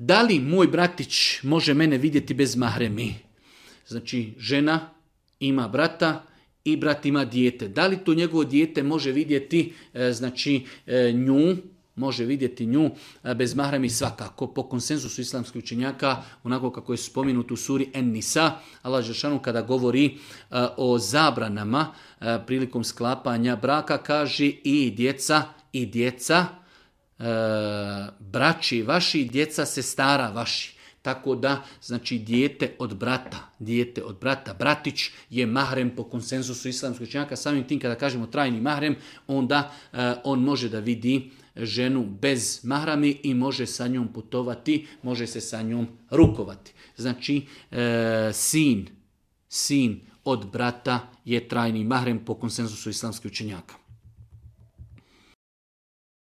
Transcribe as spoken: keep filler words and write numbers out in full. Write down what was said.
Da li moj bratić može mene vidjeti bez mahremi? Znači, žena ima brata i brat ima dijete. Da li to njegovo dijete može vidjeti e, znači, e, nju, može vidjeti nju e, bez mahremi? Svakako, po konsenzusu islamskih učenjaka, onako kako je spomenuto u suri En-Nisa, Allah dželešanu kada govori e, o zabranama e, prilikom sklapanja braka, kaže i djeca, i djeca, e, braći vaši, djeca sestara vaši. Tako da, znači, dijete od brata, dijete od brata, bratić je mahrem po konsenzusu islamskih učenjaka. Samim tim kada kažemo trajni mahrem, onda e, on može da vidi ženu bez mahrami i može sa njom putovati, može se sa njom rukovati. Znači, e, sin, sin od brata je trajni mahrem po konsenzusu islamskih učenjaka.